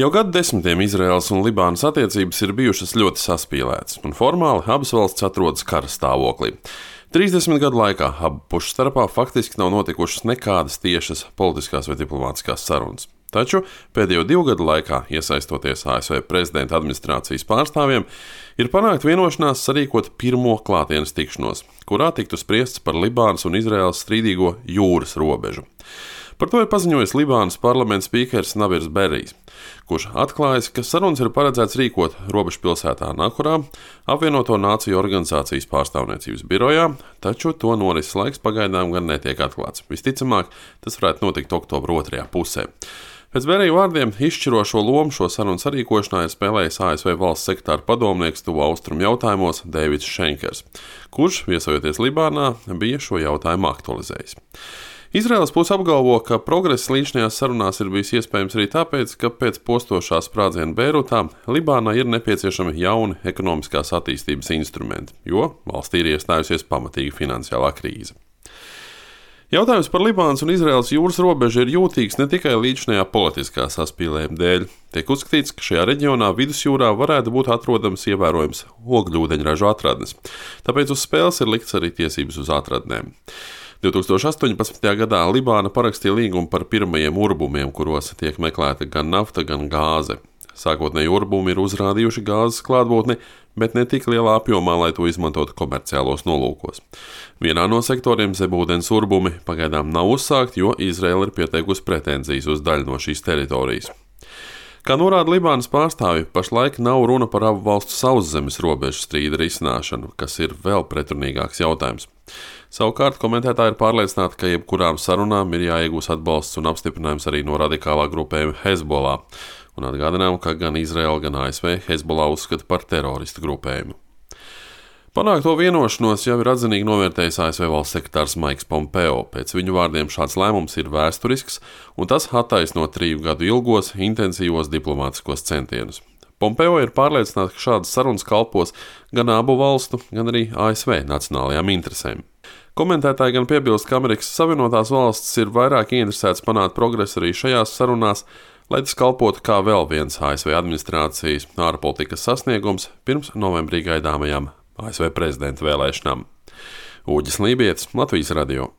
Jau gadu desmitiem Izraēlas un Libānas attiecības ir bijušas ļoti saspīlētas, un formāli abas valstis atrodas kara stāvoklī. 30 gadu laikā abu pušu starpā faktiski nav notikušas nekādas tiešas politiskās vai diplomātiskās sarunas. Taču pēdējo 2 gadu laikā, iesaistoties ASV prezidenta administrācijas pārstāvjiem, ir panākt vienošanās sarīkot pirmo klātienes tikšanos, kurā tiktu spriests par Libānas un Izraēlas strīdīgo jūras robežu. Par to ir paziņojis Libānas parlamenta spīkers Navirs Berijs, kurš atklājis, ka sarunas ir paredzēts rīkot robežpilsētā Nakurā, apvienoto nāciju organizācijas pārstāvniecības birojā, taču to norises laiks pagaidām gan netiek atklāts. Visticamāk, tas varētu notikt oktobra 2. pusē. Pēc Berija vārdiem izšķirošo lomu šo sarunu sarīkošanā ir spēlējis ASV valsts sekretāra padomnieks tuvu austrumu jautājumos Deivids Šenkers, kurš, viesojoties Libānā, bija šo jautājumu aktualizējis. Izraēlas puse apgalvo, ka progress līdzinājās sarunās ir bijis iespējams arī tāpēc, ka pēc postošā sprādziena Beirutā Libānai ir nepieciešami jauni ekonomiskās attīstības instrumenti, jo valstī ir iestājusies pamatīga finansiālā krīze. Jautājums par Libānas un Izraēlas jūras robežu ir jūtīgs ne tikai līdzinājā politiskā saspīlējuma dēļ. Tiek uzskatīts, ka šajā reģionā vidusjūrā varētu būt atrodams ievērojams ogļūdeņražu atradnes, tāpēc uz spēles ir likts arī tiesības uz atradnēm. 2018. gadā Libāna parakstīja līgumu par pirmajiem urbumiem, kuros tiek meklēta gan nafta, gan gāze. Sākotnēji urbumi ir uzrādījuši gāzes klātbūtni, bet ne tik lielā apjomā, lai to izmantotu komerciālos nolūkos. Vienā no sektoriem zemūdens urbumi pagaidām nav uzsākti, jo Izraēla ir pieteikusi pretenzijas uz daļu no šīs teritorijas. Kā norāda Libānas pārstāvji, pašlaik nav runa par abu valstu sauszemes robežu strīda risināšanu, kas ir vēl pretrunīgāks jautājums. Savukārt komentētāji ir pārliecināti, ka jebkurām sarunām ir jāiegūst atbalsts un apstiprinājums arī no radikālā grupējuma Hezbollah, un atgādinām, ka gan Izraēla, gan ASV Hezbollah uzskata par teroristu grupējumu. Panākto vienošanos jau ir atzinīgi novērtējis ASV valsts sekretārs Maiks Pompeo. Pēc viņu vārdiem šāds lēmums ir vēsturisks, un tas attaisno 3 gadu ilgos, intensīvos diplomātiskos centienus. Pompeo ir pārliecināts, ka šādas sarunas kalpos gan abu valstu, gan arī ASV nacionālajām interesēm. Komentētāji gan piebilst, ka Amerikas Savienotās valstis ir vairāk ieinteresētas panākt progresu arī šajās sarunās, lai tas kalpotu kā vēl viens ASV administrācijas ārpolitikas sasniegums pirms novembrī gaidāmajām ASV prezidenta vēlēšanām. Uģis Lībietis, Latvijas radio.